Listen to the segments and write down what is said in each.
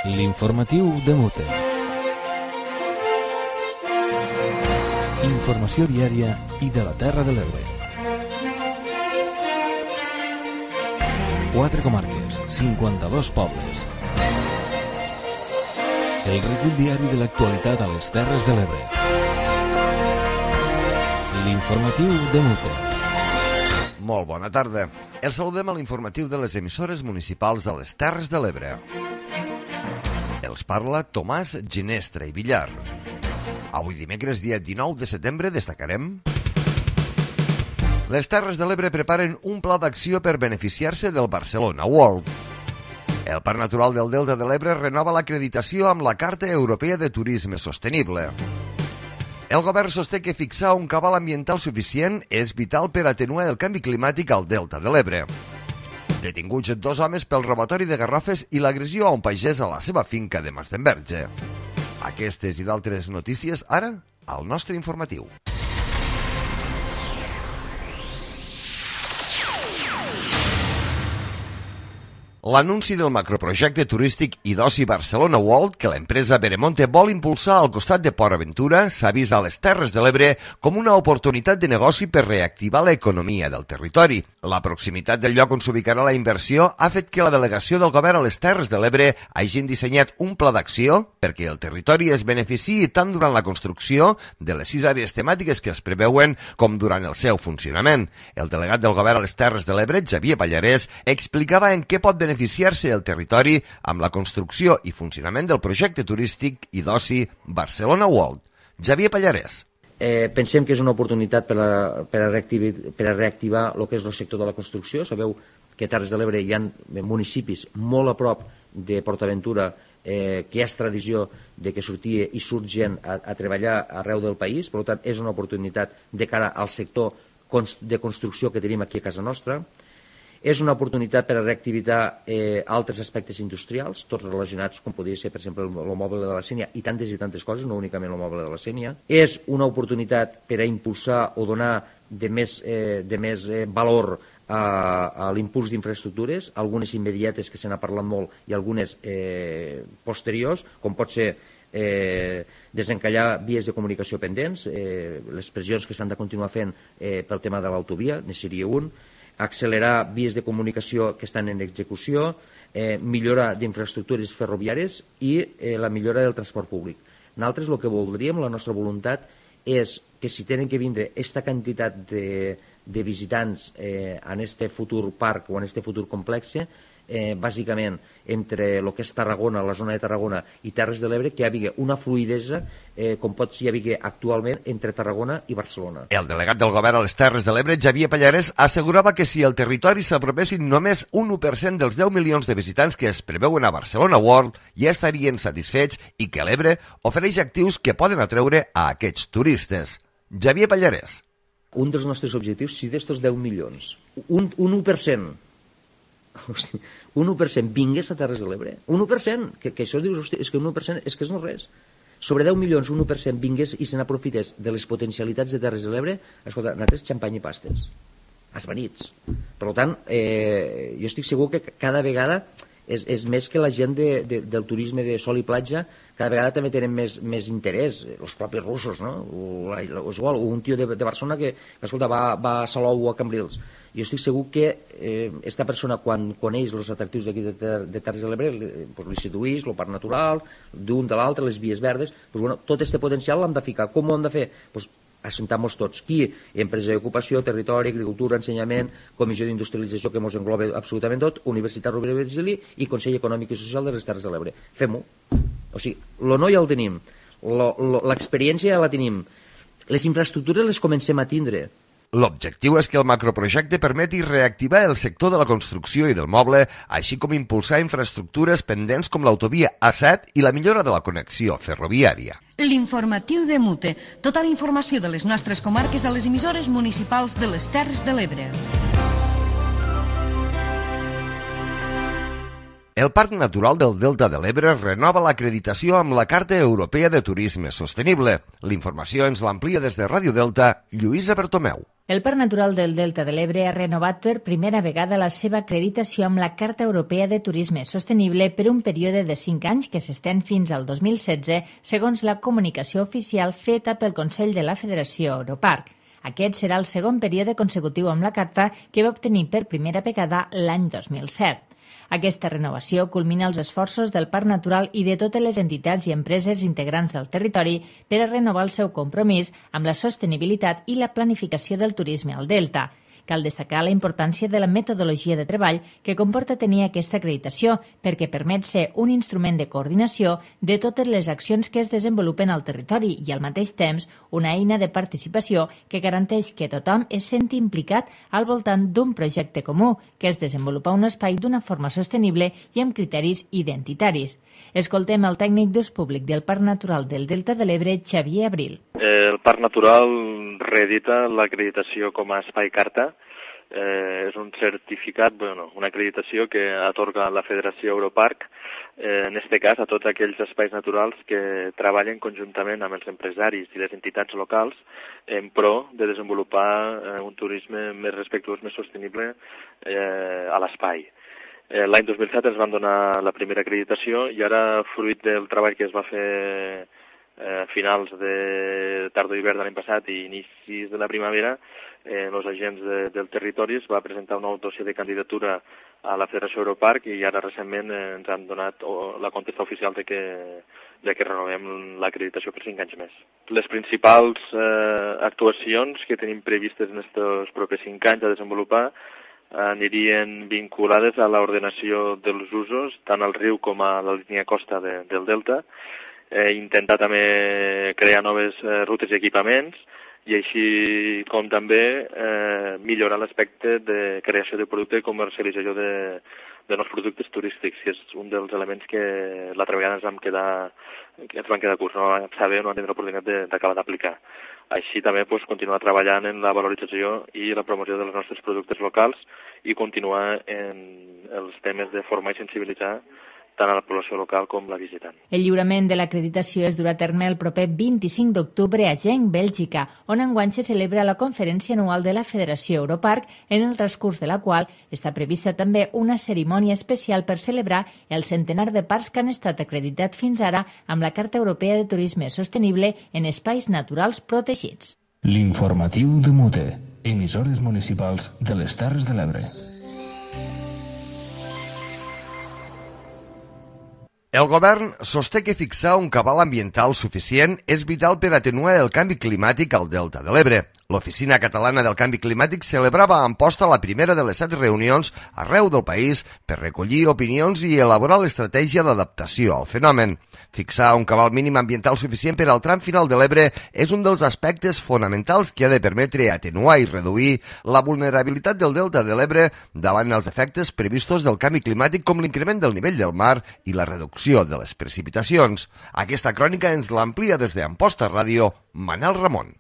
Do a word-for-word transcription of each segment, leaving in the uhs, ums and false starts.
L'informatiu de Mute. Informació diària i de la Terra de l'Ebre. Quatre comarques, cinquanta-dos pobles. El recull diari de l'actualitat a les Terres de l'Ebre. L'informatiu de Mute. Molt bona tarda. El saludem a l'informatiu de les emissores municipals de les Terres de l'Ebre. Els parla Tomàs Ginestra i Villar. Avui dimecres, dia dinou de setembre, destacarem: les Terres de l'Ebre preparen un pla d'acció per beneficiar-se del Barcelona World. El Parc Natural del Delta de l'Ebre renova l'acreditació amb la Carta Europea de Turisme Sostenible. El govern sosté que fixar un cabal ambiental suficient és vital per atenuar el canvi climàtic al Delta de l'Ebre. Detinguts dos homes pel robatori de garrofes i l'agressió a un pagès a la seva finca de Masdenverge. Aquestes i d'altres notícies ara al nostre informatiu. L'anunci del macroprojecte turístic i d'oci Barcelona World que l'empresa Veremonte vol impulsar al costat de Port Aventura s'ha vist a les Terres de l'Ebre com una oportunitat de negoci per reactivar l'economia del territori. La proximitat del lloc on s'ubicarà la inversió ha fet que la delegació del govern a les Terres de l'Ebre hagin dissenyat un pla d'acció perquè el territori es beneficiï tant durant la construcció de les sis àrees temàtiques que es preveuen com durant el seu funcionament. El delegat del govern a les Terres de l'Ebre, Xavier Pallarès, explicava en què pot beneficiar beneficiar-se el territori amb la construcció i funcionament del projecte turístic i d'oci Barcelona World. Xavier Pallarès. Eh, pensem que és una oportunitat per a, per a, reactivar, per a reactivar el que és el sector de la construcció. Sabeu que a Terres de l'Ebre hi ha municipis molt a prop de Port Aventura eh, que és tradició de que sortia i surt gent a, a treballar arreu del país. Per tant, és una oportunitat de cara al sector de construcció que tenim aquí a casa nostra. És una oportunitat per a reactivitar eh, altres aspectes industrials, tots relacionats, com podria ser, per exemple, el moble de la Sénia i tantes i tantes coses, no únicament el moble de la Sénia. És una oportunitat per a impulsar o donar de més, eh, de més eh, valor a, a l'impuls d'infraestructures, algunes immediates que se n'ha parlat molt i algunes eh, posteriors, com pot ser eh, desencallar vies de comunicació pendents, eh, les pressions que s'han de continuar fent eh, pel tema de l'autovia, ne seria un, accelerar vies de comunicació que estan en execució, eh, millora d'infraestructures ferroviàries i eh, la millora del transport públic. Nosaltres el que voldríem, la nostra voluntat, és que si tenen que vindre aquesta quantitat de, de visitants eh, en este futur parc o en este futur complex, eh, bàsicament entre el que és Tarragona, la zona de Tarragona i Terres de l'Ebre, que hi hagi una fluïdesa eh, com pot hi haver actualment entre Tarragona i Barcelona. El delegat del govern a les Terres de l'Ebre, Xavier Pallarès, assegurava que si el territori s'apropessin només un u per cent dels deu milions de visitants que es preveuen a Barcelona World, ja estarien satisfets i que l'Ebre ofereix actius que poden atreure a aquests turistes. Xavier Pallarès. Un dels nostres objectius, si d'estos deu milions, un, un u per cent, hosti, un u per cent vingués a Terres de l'Ebre, un u per cent, que, que això dius, hosti, és que un u per cent és que és no res. Sobre deu milions, un u per cent vingués i se n'aprofités de les potencialitats de Terres de l'Ebre, escolta, nosaltres xampany i pastes, esvanits. Per tant, eh, jo estic segur que cada vegada és, és més que la gent de, de, del turisme de sol i platja, cada vegada també tenen més, més interès, els propis russos, no? O, la, o, igual, o un tio de, de Barcelona que, que escolta, va, va a Salou o a Cambrils. Jo estic segur que eh, esta persona, quan coneix els atractius d'aquí de, de, de Terres de l'Ebre, pues, li seduís, el parc natural, d'un de l'altre, les vies verdes, pues, bueno, tot aquest potencial l'hem de ficar. Com ho hem de fer? Pues, assentar-nos tots. Qui? Empresa d'ocupació, territori, agricultura, ensenyament, comissió d'industrialització que ens engloba absolutament tot, Universitat Rovira i Virgili i Consell Econòmic i Social de les Terres de l'Ebre. Fem-ho. O sigui, el no ja el tenim, l'experiència ja la tenim, les infraestructures les comencem a tindre. L'objectiu és que el macroprojecte permeti reactivar el sector de la construcció i del moble, així com impulsar infraestructures pendents com l'autovia A set i la millora de la connexió ferroviària. L'informatiu de Mute. Tota la informació de les nostres comarques a les emissores municipals de les Terres de l'Ebre. El Parc Natural del Delta de l'Ebre renova l'acreditació amb la Carta Europea de Turisme Sostenible. L'informació ens l'amplia des de Ràdio Delta, Lluïsa Bertomeu. El Parc Natural del Delta de l'Ebre ha renovat per primera vegada la seva acreditació amb la Carta Europea de Turisme Sostenible per un període de cinc anys que s'estén fins al dos mil setze, segons la comunicació oficial feta pel Consell de la Federació Europarc. Aquest serà el segon període consecutiu amb la carta que va obtenir per primera vegada l'any dos mil set. Aquesta renovació culmina els esforços del Parc Natural i de totes les entitats i empreses integrants del territori per a renovar el seu compromís amb la sostenibilitat i la planificació del turisme al Delta. Cal destacar la importància de la metodologia de treball que comporta tenir aquesta acreditació perquè permet ser un instrument de coordinació de totes les accions que es desenvolupen al territori i al mateix temps una eina de participació que garanteix que tothom es senti implicat al voltant d'un projecte comú, que és desenvolupar un espai d'una forma sostenible i amb criteris identitaris. Escoltem el tècnic d'ús públic del Parc Natural del Delta de l'Ebre, Xavier Abril. El Parc Natural reedita l'acreditació com a espai carta. Eh, és un certificat, bueno, una acreditació que atorga la Federació Europarc, eh, en aquest cas a tots aquells espais naturals que treballen conjuntament amb els empresaris i les entitats locals en pro de desenvolupar eh, un turisme més respectuós, més sostenible eh, a l'espai. Eh, L'any dos mil set ens van donar la primera acreditació i ara, fruit del treball que es va fer a eh, finals de tardor-hivern de l'any passat i inicis de la primavera, eh, els agents de, del territori es va presentar una dossier de candidatura a la Federació Europarc i ara recentment eh, ens han donat oh, la contesta oficial de que, de que renovem l'acreditació per cinc anys més. Les principals eh, actuacions que tenim previstes en aquests propers cinc anys a desenvolupar anirien vinculades a l'ordenació dels usos, tant al riu com a la línia costa de, del Delta, eh, intentar també crear noves eh, rutes i equipaments, i així com també eh, millorar l'aspecte de creació de producte i comercialització de, de nous productes turístics, que és un dels elements que l'altra vegada ens vam quedar, que ens van quedar curts, no vam saber, no vam tenir l'oportunitat d'acabar d'aplicar. Així també pues, continuar treballant en la valorització i la promoció dels nostres productes locals i continuar en els temes de formar i sensibilitzar tant a la població local com la visitant. El lliurament de l'acreditació es durà a terme el proper vint-i-cinc d'octubre a Genk, Bèlgica, on enguany se celebra la conferència anual de la Federació Europarc, en el transcurs de la qual està prevista també una cerimònia especial per celebrar el centenar de parcs que han estat acreditats fins ara amb la Carta Europea de Turisme Sostenible en espais naturals protegits. L'informatiu de Mute, emissores municipals de les Terres de l'Ebre. El govern sosté que fixar un cabal ambiental suficient és vital per atenuar el canvi climàtic al Delta de l'Ebre. L'Oficina Catalana del Canvi Climàtic celebrava a Amposta la primera de les set reunions arreu del país per recollir opinions i elaborar l'estratègia d'adaptació al fenomen. Fixar un cabal mínim ambiental suficient per al tram final de l'Ebre és un dels aspectes fonamentals que ha de permetre atenuar i reduir la vulnerabilitat del Delta de l'Ebre davant els efectes previstos del canvi climàtic com l'increment del nivell del mar i la reducció de les precipitacions. Aquesta crònica ens l'amplia des d'Amposta Ràdio, Manel Ramon.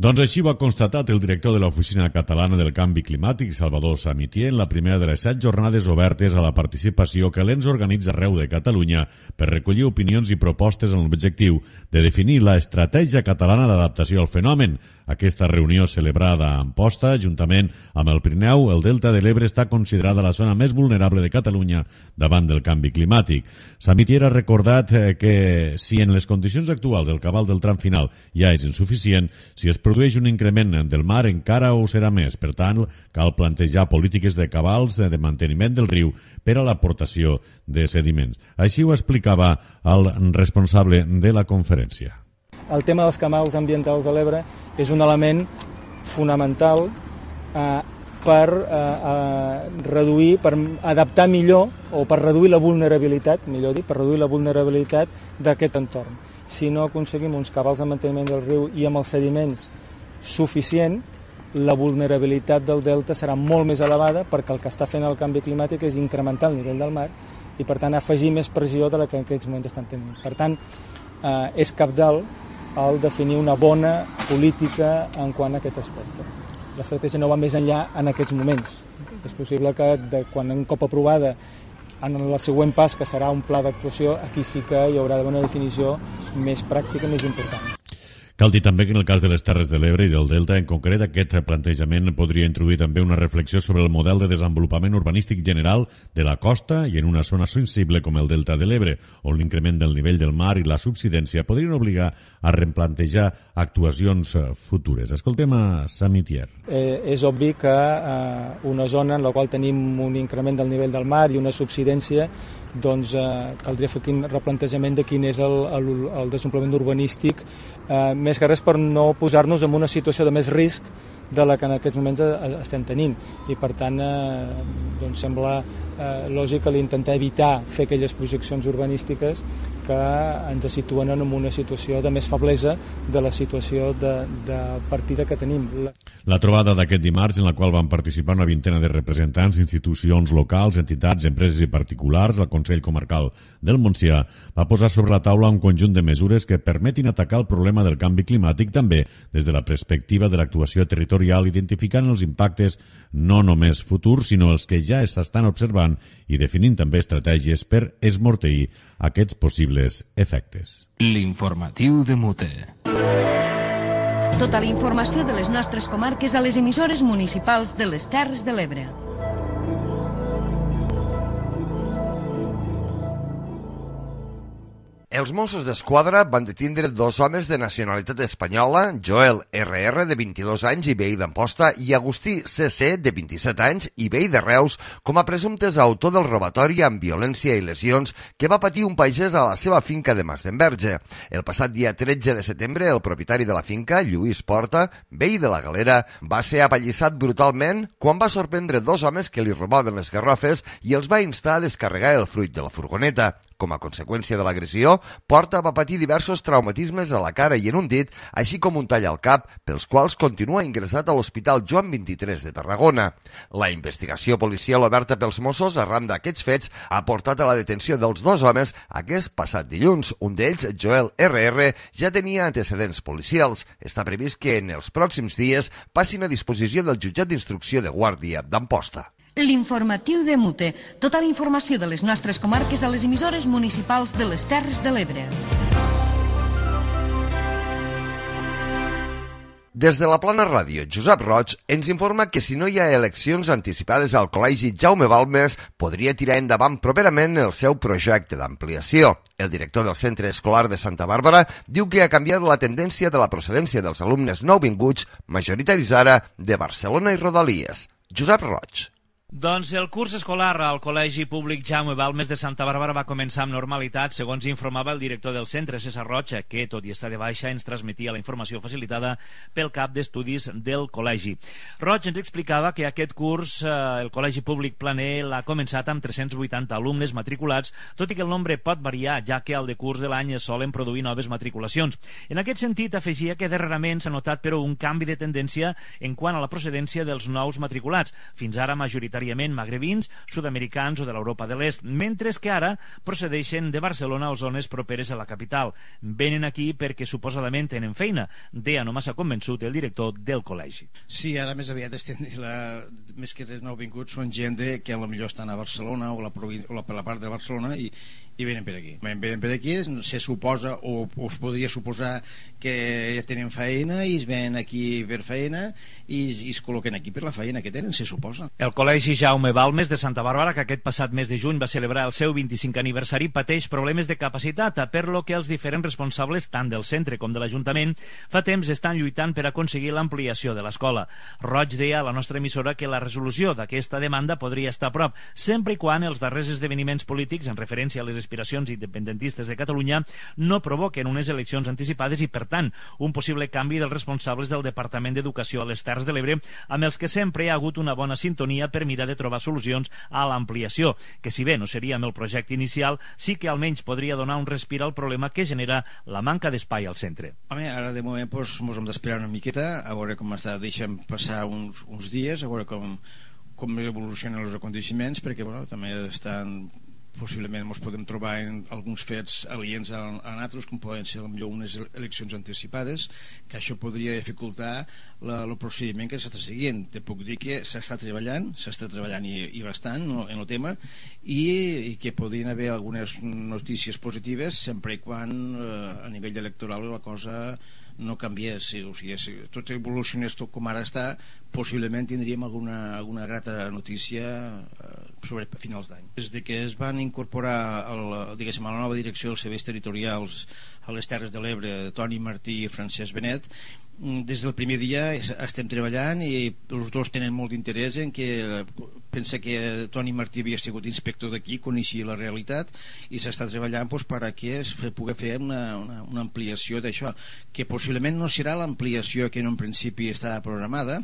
Doncs així ho ha constatat el director de l'Oficina Catalana del Canvi Climàtic, Salvador Samitier, en la primera de les set jornades obertes a la participació que l'E N S organitza arreu de Catalunya per recollir opinions i propostes amb l'objectiu de definir l'estratègia catalana d'adaptació al fenomen. Aquesta reunió celebrada a Amposta, juntament amb el Pirineu, el Delta de l'Ebre està considerada la zona més vulnerable de Catalunya davant del canvi climàtic. Samitier ha recordat que si en les condicions actuals el cabal del tram final ja és insuficient, si es produeix un increment del mar encara ho serà més. Per tant, cal plantejar polítiques de cabals de manteniment del riu per a l'aportació de sediments. Així ho explicava el responsable de la conferència. El tema dels cabals ambientals de l'Ebre és un element fonamental eh, per eh, eh, reduir, per adaptar millor o per reduir la vulnerabilitat, millor dit, per reduir la vulnerabilitat d'aquest entorn. Si no aconseguim uns cabals de manteniment del riu i amb els sediments suficient, la vulnerabilitat del delta serà molt més elevada perquè el que està fent el canvi climàtic és incrementar el nivell del mar i, per tant, afegir més pressió de la que en aquests moments estan tenint. Per tant, eh, és cabdal el definir una bona política en quant a aquest aspecte. L'estratègia no va més enllà en aquests moments. És possible que de, quan un cop aprovada En el següent pas, que serà un pla d'actuació, aquí sí que hi haurà d'haver una definició més pràctica, més important. Cal dir també que en el cas de les Terres de l'Ebre i del Delta, en concret, aquest plantejament podria introduir també una reflexió sobre el model de desenvolupament urbanístic general de la costa i en una zona sensible com el Delta de l'Ebre, on l'increment del nivell del mar i la subsidència podrien obligar a replantejar actuacions futures. Escoltem a Samitier. Eh, és obvi que eh, una zona en la qual tenim un increment del nivell del mar i una subsidència, doncs eh, caldria fer quin replantejament de quin és el, el, el desenvolupament urbanístic, eh, més que res per no posar-nos en una situació de més risc de la que en aquests moments estem tenint. I per tant, eh, doncs sembla eh, lògic que l'intentar evitar fer aquelles projeccions urbanístiques que ens situen en una situació de més feblesa de la situació de, de partida que tenim. La trobada d'aquest dimarts, en la qual van participar una vintena de representants, institucions locals, entitats, empreses i particulars, al Consell Comarcal del Montsià, va posar sobre la taula un conjunt de mesures que permetin atacar el problema del canvi climàtic també des de la perspectiva de l'actuació territorial, identificant els impactes no només futurs, sinó els que ja s'estan observant i definint també estratègies per esmorteir aquests possibles efectes. L'informatiu de Mute. Tota la informació de les nostres comarques a les emissores municipals de les Terres de l'Ebre. Els Mossos d'Esquadra van detindre dos homes de nacionalitat espanyola, Joel erre erre, de vint-i-dos anys i veí d'Amposta, i Agustí ce ce, de vint-i-set anys i veí de Reus, com a presumptes autor del robatori amb violència i lesions que va patir un pagès a la seva finca de Masdenverge. El passat dia tretze de setembre, el propietari de la finca, Lluís Porta, veí de la Galera, va ser apallissat brutalment quan va sorprendre dos homes que li robaven les garrofes i els va instar a descarregar el fruit de la furgoneta. Com a conseqüència de l'agressió, Porta va patir diversos traumatismes a la cara i en un dit, així com un tall al cap, pels quals continua ingressat a l'Hospital Joan vint-i-tres de Tarragona. La investigació policial oberta pels Mossos arran d'aquests fets ha portat a la detenció dels dos homes aquest passat dilluns. Un d'ells, Joel erre erre, ja tenia antecedents policials. Està previst que en els pròxims dies passin a disposició del jutjat d'instrucció de Guàrdia d'Amposta. L'informatiu de Mute. Tota la informació de les nostres comarques a les emissores municipals de les Terres de l'Ebre. Des de la Plana Ràdio, Josep Roig ens informa que si no hi ha eleccions anticipades al Col·legi Jaume Balmes, podria tirar endavant properament el seu projecte d'ampliació. El director del Centre Escolar de Santa Bàrbara diu que ha canviat la tendència de la procedència dels alumnes nouvinguts, majoritaris ara de Barcelona i Rodalies. Josep Roig. Doncs el curs escolar al Col·legi Públic Jaume Balmes de Santa Bàrbara va començar amb normalitat, segons informava el director del centre, César Roig, que, tot i estar de baixa, ens transmetia la informació facilitada pel cap d'estudis del col·legi. Roig ens explicava que aquest curs eh, el Col·legi Públic Planell l'ha començat amb tres-cents vuitanta alumnes matriculats, tot i que el nombre pot variar, ja que al decurs de l'any es solen produir noves matriculacions. En aquest sentit, afegia que darrerament s'ha notat, però, un canvi de tendència en quant a la procedència dels nous matriculats, fins ara majoritàriament magrebins, sud-americans o de l'Europa de l'Est, mentre que ara procedeixen de Barcelona o zones properes a la capital. Venen aquí perquè suposadament tenen feina, deia no massa convençut el director del col·legi. Sí, ara més aviat estem, la, més que els nouvinguts són gent de, que potser estan a Barcelona o la, o la, per la part de Barcelona i i venen per aquí. Venen per aquí, se suposa o, o es podria suposar que ja tenen feina i es venen aquí per feina i, i es col·loquen aquí per la feina que tenen, se suposa. El Col·legi Jaume Balmes de Santa Bàrbara, que aquest passat mes de juny va celebrar el seu vint-i-cinquè aniversari, pateix problemes de capacitat, per lo que els diferents responsables, tant del centre com de l'Ajuntament, fa temps estan lluitant per aconseguir l'ampliació de l'escola. Roig deia a la nostra emissora que la resolució d'aquesta demanda podria estar a prop, sempre i quan els darrers esdeveniments polítics, en referència a les aspiracions independentistes de Catalunya, no provoquen unes eleccions anticipades i, per tant, un possible canvi dels responsables del Departament d'Educació a les Terres de l'Ebre, amb els que sempre hi ha hagut una bona sintonia per mirar de trobar solucions a l'ampliació, que si bé no seria amb el projecte inicial, sí que almenys podria donar un respir al problema que genera la manca d'espai al centre. Home, ara de moment doncs, ens hem d'esperar una miqueta, a veure com està, deixem passar uns, uns dies, a veure com, com evolucionen els aconteixements, perquè bueno, també estan possiblement ens podem trobar en alguns fets aliens a, a nosaltres, com poden ser potser unes eleccions anticipades, que això podria dificultar el procediment que s'està seguint. Te puc dir que s'està treballant, s'està treballant i, i bastant no, en el tema, i, i que podrien haver algunes notícies positives sempre i quan eh, a nivell electoral la cosa no canviés. O sigui, si tot evolucionés tot com ara està, possiblement tindríem alguna, alguna grata notícia eh, sobre finals d'any. Des de que es van incorporar el, diguéssim, a la nova direcció dels serveis territorials a les Terres de l'Ebre, Toni Martí i Francesc Benet, des del primer dia estem treballant i els dos tenen molt d'interès en que pensa que Toni Martí havia sigut inspector d'aquí, coneixia la realitat i s'està treballant doncs, perquè es pugui fer una, una, una ampliació d'això, que possiblement no serà l'ampliació que en un principi estava programada,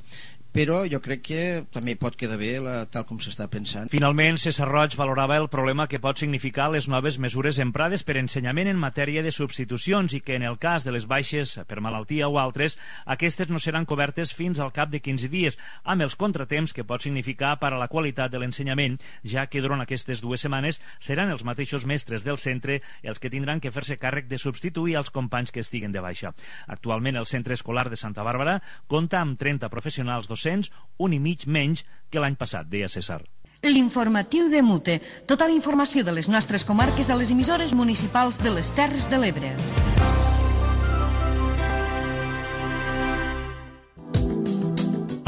però jo crec que també pot quedar bé la, tal com s'està pensant. Finalment, César Roig valorava el problema que pot significar les noves mesures emprades per ensenyament en matèria de substitucions i que en el cas de les baixes per malaltia o altres, aquestes no seran cobertes fins al cap de quinze dies, amb els contratemps que pot significar per a la qualitat de l'ensenyament, ja que durant aquestes dues setmanes seran els mateixos mestres del centre els que tindran que fer-se càrrec de substituir els companys que estiguen de baixa. Actualment el centre escolar de Santa Bàrbara compta amb trenta professionals docents, un i mig menys que l'any passat, deia César. L'informatiu de Mute. Tota la informació de les nostres comarques a les emissores municipals de les Terres de l'Ebre.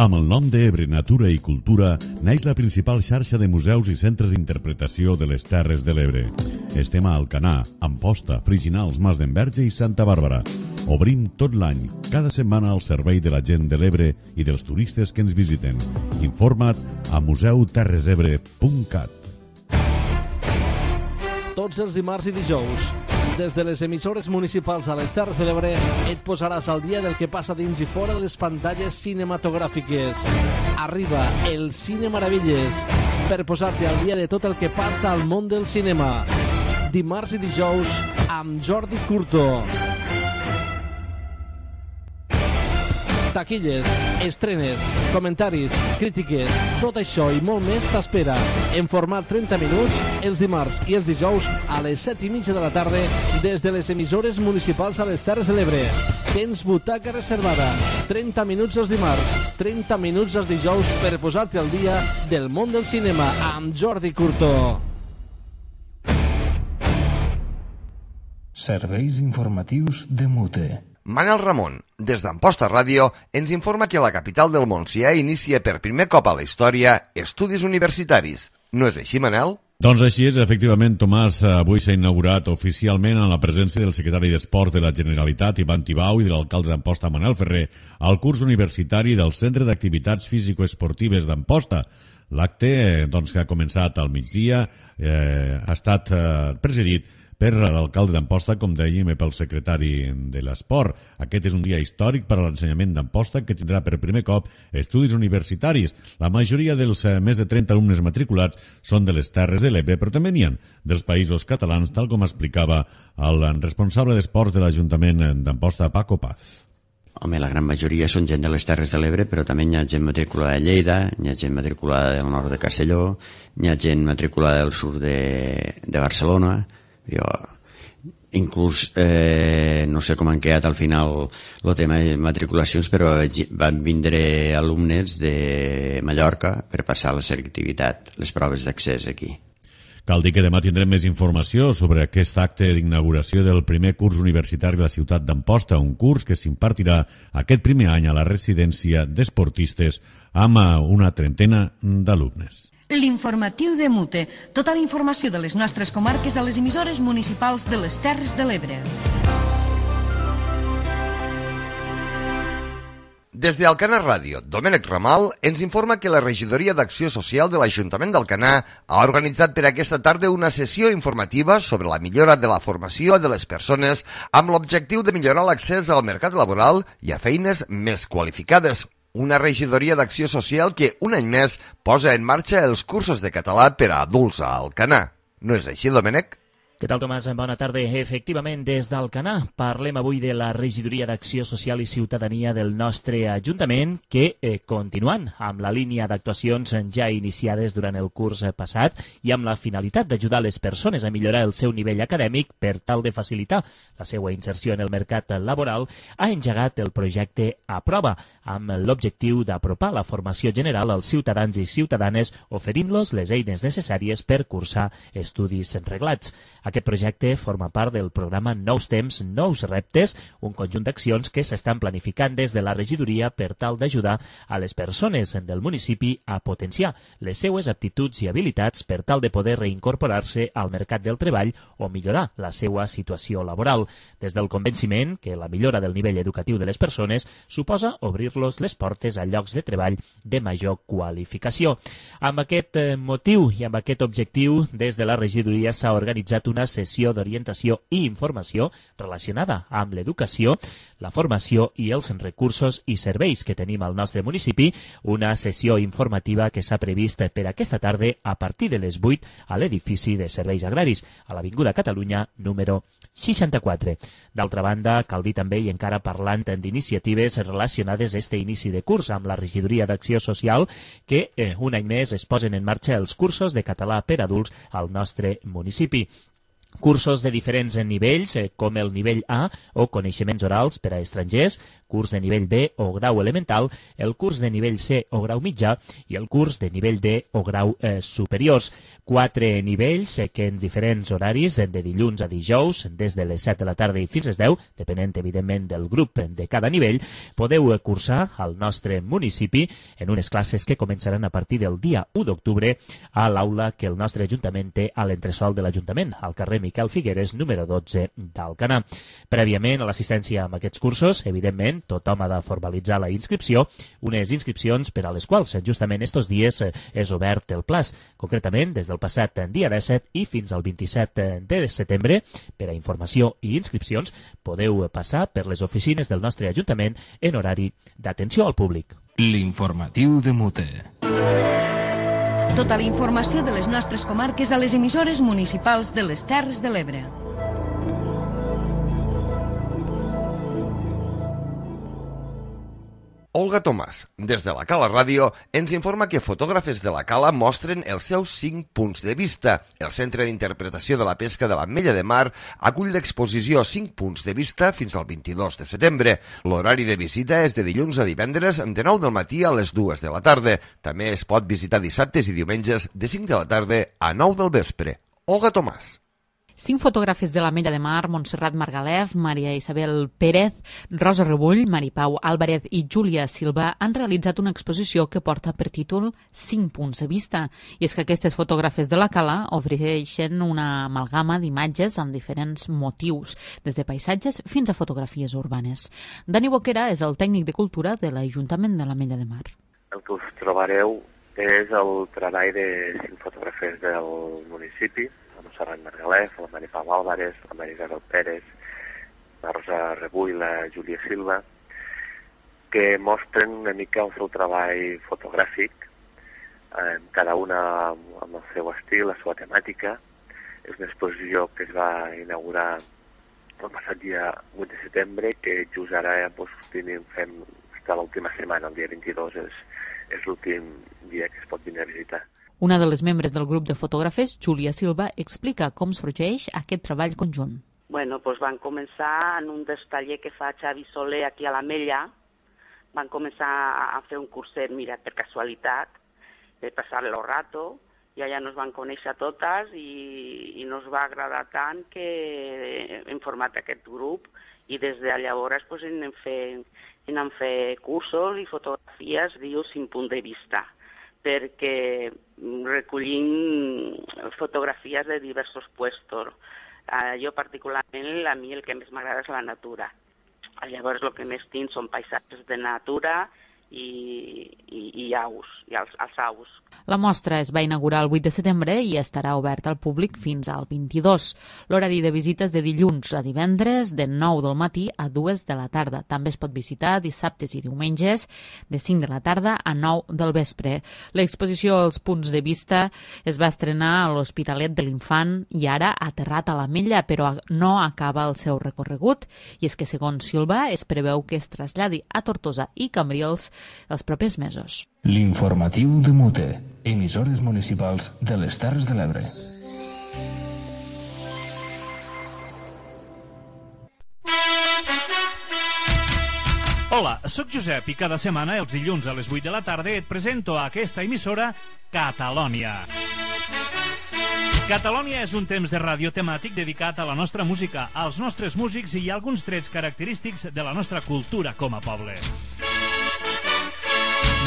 Amb el nom d'Ebre Natura i Cultura naix la principal xarxa de museus i centres d'interpretació de les Terres de l'Ebre. Estem a Alcanar, Amposta, Friginals, Mas d'Enverge i Santa Bàrbara. Obrim tot l'any, cada setmana al servei de la gent de l'Ebre i dels turistes que ens visiten. Informa't a museu terres ebre punt cat. Tots els dimarts i dijous, des de les emissores municipals a les Terres de l'Ebre, et posaràs al dia del que passa dins i fora de les pantalles cinematogràfiques. Arriba el Cine Maravilles per posar-te al dia de tot el que passa al món del cinema. Dimarts i dijous amb Jordi Curto. Taquilles, estrenes, comentaris, crítiques, tot això i molt més t'espera en format trenta minuts els dimarts i els dijous a les set i mitja de la tarda des de les emissores municipals a les Terres de l'Ebre. Tens butaca reservada, trenta minuts els dimarts, trenta minuts els dijous per posar-te al dia del món del cinema amb Jordi Curto. Serveis informatius de Mute. Manel Ramon, des d'Amposta Ràdio, ens informa que a la capital del Montsià inicia per primer cop a la història estudis universitaris. No és així, Manel? Doncs així és, efectivament, Tomàs. Avui s'ha inaugurat oficialment en la presència del secretari d'Esports de la Generalitat, Ivan Tibau, i de l'alcalde d'Amposta, Manel Ferrer, el curs universitari del Centre d'Activitats Físico-Esportives d'Amposta. L'acte, doncs, que ha començat al migdia, eh, ha estat eh, presidit per l'alcalde d'Amposta, com dèiem, i pel secretari de l'Esport. Aquest és un dia històric per a l'ensenyament d'Amposta, que tindrà per primer cop estudis universitaris. La majoria dels eh, més de trenta alumnes matriculats són de les Terres de l'Ebre, però també n'hi ha dels països catalans, tal com explicava el responsable d'Esports de l'Ajuntament d'Amposta, Paco Paz. Home, la gran majoria són gent de les Terres de l'Ebre, però també hi ha gent matriculada de Lleida, hi ha gent matriculada del nord de Castelló, hi ha gent matriculada del sud de, de Barcelona. Jo, inclús eh, no sé com han quedat al final el tema de matriculacions, però van vindre alumnes de Mallorca per passar la selectivitat, les proves d'accés aquí. Cal dir que demà tindrem més informació sobre aquest acte d'inauguració del primer curs universitari de la ciutat d'Amposta, un curs que s'impartirà aquest primer any a la residència d'esportistes amb una trentena d'alumnes. L'informatiu de Mute. Tota la informació de les nostres comarques a les emissores municipals de les Terres de l'Ebre. Des d'Alcanar Ràdio, Domènec Ramal ens informa que la Regidoria d'Acció Social de l'Ajuntament d'Alcanar ha organitzat per aquesta tarda una sessió informativa sobre la millora de la formació de les persones amb l'objectiu de millorar l'accés al mercat laboral i a feines més qualificades. Una regidoria d'Acció Social que un any més posa en marxa els cursos de català per a adults a Alcanar. No és així, Domènec? Què tal, Tomàs? Bona tarda. Efectivament, des d'Alcanar parlem avui de la Regidoria d'Acció Social i Ciutadania del nostre Ajuntament, que, eh, continuant amb la línia d'actuacions ja iniciades durant el curs passat i amb la finalitat d'ajudar les persones a millorar el seu nivell acadèmic per tal de facilitar la seva inserció en el mercat laboral, ha engegat el projecte Aprova, amb l'objectiu d'apropar la formació general als ciutadans i ciutadanes, oferint-los les eines necessàries per cursar estudis reglats. Aquest projecte forma part del programa Nous Temps, Nous Reptes, un conjunt d'accions que s'estan planificant des de la regidoria per tal d'ajudar a les persones del municipi a potenciar les seues aptituds i habilitats per tal de poder reincorporar-se al mercat del treball o millorar la seva situació laboral, des del convenciment que la millora del nivell educatiu de les persones suposa obrir-los les portes a llocs de treball de major qualificació. Amb aquest motiu i amb aquest objectiu, des de la regidoria s'ha organitzat una sessió d'orientació i informació relacionada amb l'educació, la formació i els recursos i serveis que tenim al nostre municipi, una sessió informativa que s'ha previst per aquesta tarda a partir de les vuit a l'edifici de Serveis Agraris, a l'Avinguda Catalunya número seixanta-quatre. D'altra banda, cal dir també, i encara parlant d'iniciatives relacionades a este inici de curs amb la Regidoria d'Acció Social, que eh, un any més es posen en marxa els cursos de català per adults al nostre municipi. Cursos de diferents nivells, eh, com el nivell A o coneixements orals per a estrangers, curs de nivell B o grau elemental, el curs de nivell C o grau mitjà i el curs de nivell D o grau eh, superiors. Quatre nivells eh, que en diferents horaris, de dilluns a dijous, des de les set de la tarda i fins les deu, depenent evidentment del grup de cada nivell, podeu cursar al nostre municipi en unes classes que començaran a partir del dia u d'octubre a l'aula que el nostre Ajuntament té a l'entresol de l'Ajuntament, al carrer Miquel Figueres, número dotze d'Alcanar. Prèviament a l'assistència a aquests cursos, evidentment, tothom ha de formalitzar la inscripció, unes inscripcions per a les quals justament estos dies és obert el plaç, concretament des del passat dia disset i fins al vint-i-set de setembre. Per a informació i inscripcions podeu passar per les oficines del nostre Ajuntament en horari d'atenció al públic. L'informatiu de Mute. Tota la informació de les nostres comarques a les emissores municipals de les Terres de l'Ebre. Olga Tomàs, des de la Cala Ràdio, ens informa que fotògrafes de la Cala mostren els seus cinc punts de vista. El Centre d'Interpretació de la Pesca de l'Ametlla de Mar acull l'exposició cinc punts de vista fins al vint-i-dos de setembre. L'horari de visita és de dilluns a divendres de nou del matí a les dues de la tarda. També es pot visitar dissabtes i diumenges de cinc de la tarda a nou del vespre. Olga Tomàs. Cinc fotògrafes de l'Ametlla de Mar, Montserrat Margalef, Maria Isabel Pérez, Rosa Rebull, Maripau Álvarez i Júlia Silva han realitzat una exposició que porta per títol Cinc punts de vista. I és que aquestes fotògrafes de la Cala ofereixen una amalgama d'imatges amb diferents motius, des de paisatges fins a fotografies urbanes. Dani Boquera és el tècnic de cultura de l'Ajuntament de l'Ametlla de Mar. El que us trobareu és el treball de cinc fotògrafes del municipi, la Montserrat Margalef, la Maripau Álvarez, la Maria Isabel Pérez, la Rosa Rebull i la Júlia Silva, que mostren una mica el seu treball fotogràfic, eh, cada una amb el seu estil, la seva temàtica. És una exposició que es va inaugurar el passat dia vuit de setembre, que just ara doncs, tenim, fem fins l'última setmana, el dia vint-i-dos, és, és l'últim dia que es pot venir a visitar. Una de les membres del grup de fotògrafes, Júlia Silva, explica com sorgeix aquest treball conjunt. Bueno, doncs van començar en un dels tallers que fa Xavi Soler aquí a l'Ametlla. Van començar a fer un curset, mira, per casualitat, de passar el rato, i allà nos van conèixer totes i, i nos va agradar tant que hem format aquest grup i des de llavors pues, anem fent, anem fent cursos i fotografies, diu, cinc punts de vista, perquè recollim fotografies de diversos puestos. Uh, jo particularment, a mi el que més m'agrada és la natura. Llavors el que més tinc són paisatges de natura i, i, i aus, i els, els aus. La mostra es va inaugurar el vuit de setembre i estarà oberta al públic fins al vint-i-dos. L'horari de visites de dilluns a divendres de nou del matí a dues de la tarda. També es pot visitar dissabtes i diumenges de cinc de la tarda a nou del vespre. L'exposició als punts de vista es va estrenar a l'Hospitalet de l'Infant i ara ha aterrat a l'Ametlla, però no acaba el seu recorregut. I és que, segons Silva, es preveu que es traslladi a Tortosa i Cambrils els propers mesos. L'informatiu de Mute, emissores municipals de les Terres de l'Ebre. Hola, sóc Josep i cada setmana, els dilluns a les vuit de la tarda, et presento a aquesta emissora Catalònia. Catalònia és un temps de ràdio temàtic dedicat a la nostra música, als nostres músics i a alguns trets característics de la nostra cultura com a poble.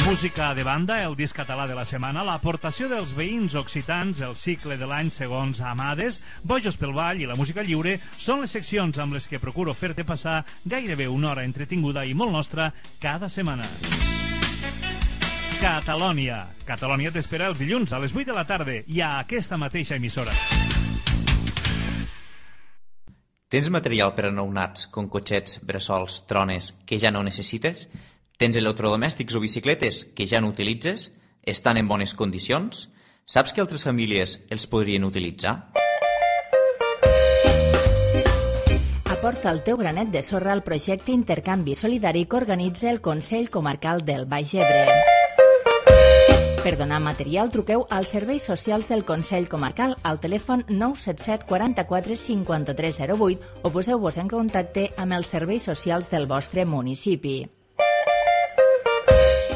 Música de banda, el disc català de la setmana, l'aportació dels veïns occitans, el cicle de l'any segons Amades, Bojos pel ball i la música lliure són les seccions amb les que procuro fer-te passar gairebé una hora entretinguda i molt nostra cada setmana. Catalònia. Catalònia t'espera els dilluns a les vuit de la tarda i a aquesta mateixa emissora. Tens material per a nounats, com cotxets, bressols, trones, que ja no necessites? Tens electrodomèstics o bicicletes que ja no utilitzes? Estan en bones condicions? Saps que altres famílies els podrien utilitzar? Aporta el teu granet de sorra al projecte Intercanvi Solidari que organitza el Consell Comarcal del Baix Ebre. Per donar material, truqueu als serveis socials del Consell Comarcal al telèfon nou set set quaranta-quatre cinquanta-tres zero vuit o poseu-vos en contacte amb els serveis socials del vostre municipi.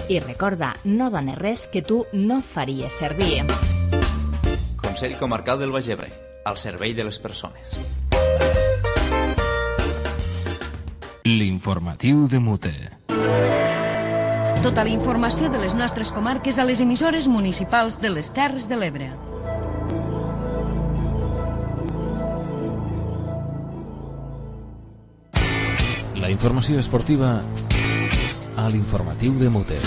I recorda, no dones res que tu no faries servir. Consell Comarcal del Baix Ebre, al servei de les persones. L'informatiu de Mute. Tota la informació de les nostres comarques a les emissores municipals de les Terres de l'Ebre. La informació esportiva a l'informatiu de Mute.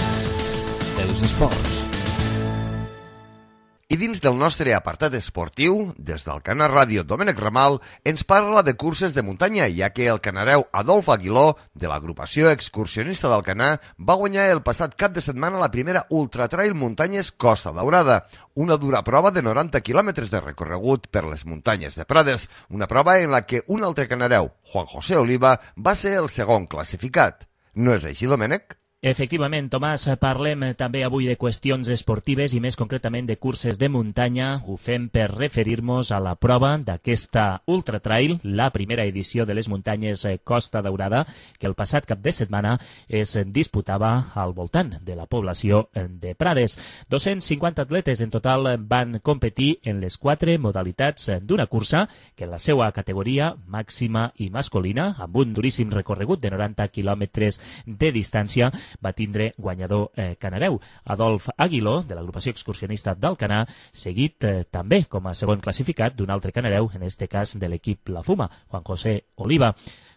Els esports. I dins del nostre apartat esportiu, des del Canà Ràdio Domènec Ramal, ens parla de curses de muntanya, ja que el canareu Adolf Aguiló, de l'agrupació excursionista del Canà, va guanyar el passat cap de setmana la primera ultratrail muntanyes Costa Daurada, una dura prova de noranta quilòmetres de recorregut per les muntanyes de Prades, una prova en la que un altre canareu, Juan José Oliva, va ser el segon classificat. No és així, Domènec? Efectivament, Tomàs, parlem també avui de qüestions esportives i més concretament de curses de muntanya. Ho fem per referir-nos a la prova d'aquesta Ultra Trail, la primera edició de les muntanyes Costa Daurada, que el passat cap de setmana es disputava al voltant de la població de Prades. dos-cents cinquanta atletes en total van competir en les quatre modalitats d'una cursa que en la seva categoria màxima i masculina, amb un duríssim recorregut de noranta quilòmetres de distància, va tindre guanyador eh, canareu, Adolf Aguiló, de l'agrupació excursionista del Canà, seguit eh, també com a segon classificat d'un altre canareu, en este cas de l'equip La Fuma, Juan José Oliva.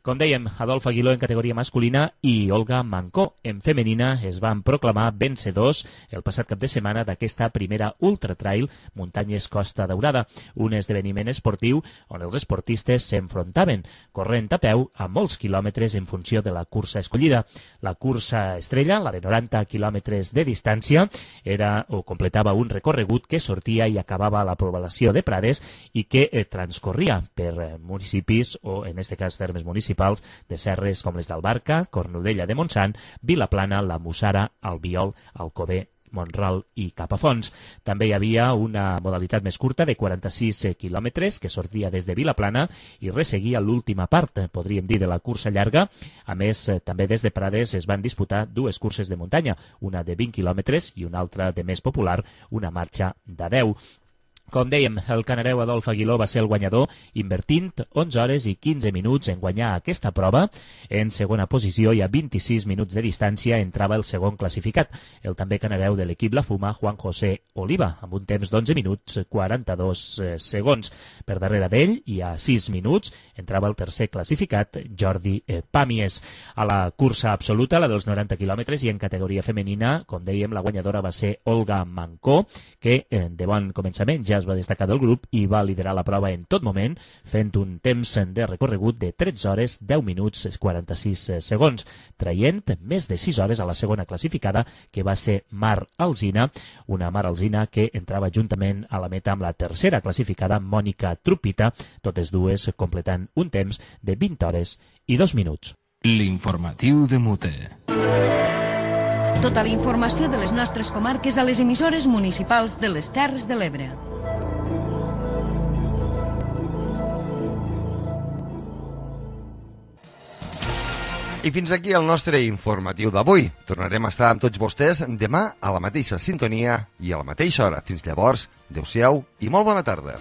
Com dèiem, Adolf Aguiló en categoria masculina i Olga Mancó en femenina es van proclamar vencedors el passat cap de setmana d'aquesta primera Ultra Trail Muntanyes Costa Daurada, un esdeveniment esportiu on els esportistes s'enfrontaven, corrent a peu a molts quilòmetres en funció de la cursa escollida. La cursa estrella, la de noranta quilòmetres de distància, era o completava un recorregut que sortia i acabava a la població de Prades i que eh, transcorria per eh, municipis, o en este cas termes municipals, de serres com les d'Albarca, Cornudella de Montsant, Vilaplana, la Mussara, Albiol, Alcover, Montral i Capafonts. També hi havia una modalitat més curta de quaranta-sis quilòmetres que sortia des de Vilaplana i resseguia l'última part, podríem dir, de la cursa llarga. A més, també des de Prades es van disputar dues curses de muntanya, una de vint quilòmetres i una altra de més popular, una marxa de deu. Com dèiem, el canareu Adolf Aguiló va ser el guanyador, invertint onze hores i quinze minuts en guanyar aquesta prova. En segona posició i a vint-i-sis minuts de distància entrava el segon classificat, el també canareu de l'equip La Fuma, Juan José Oliva, amb un temps d'onze minuts quaranta-dos segons. Per darrere d'ell, i a sis minuts, entrava el tercer classificat, Jordi Pàmies. A la cursa absoluta, la dels noranta quilòmetres, i en categoria femenina, com dèiem, la guanyadora va ser Olga Mancó, que de bon començament ja es va destacar del grup i va liderar la prova en tot moment, fent un temps de recorregut de tretze hores, deu minuts, quaranta-sis segons, traient més de sis hores a la segona classificada, que va ser Mar Alsina, una Mar Alsina que entrava juntament a la meta amb la tercera classificada, Mònica Trupita, totes dues completant un temps de vint hores i dos minuts. L'informatiu de Mute. Tota la informació de les nostres comarques a les emissores municipals de les Terres de l'Ebre. I fins aquí el nostre informatiu d'avui. Tornarem a estar amb tots vostès demà a la mateixa sintonia i a la mateixa hora. Fins llavors, adeu-siau i molt bona tarda.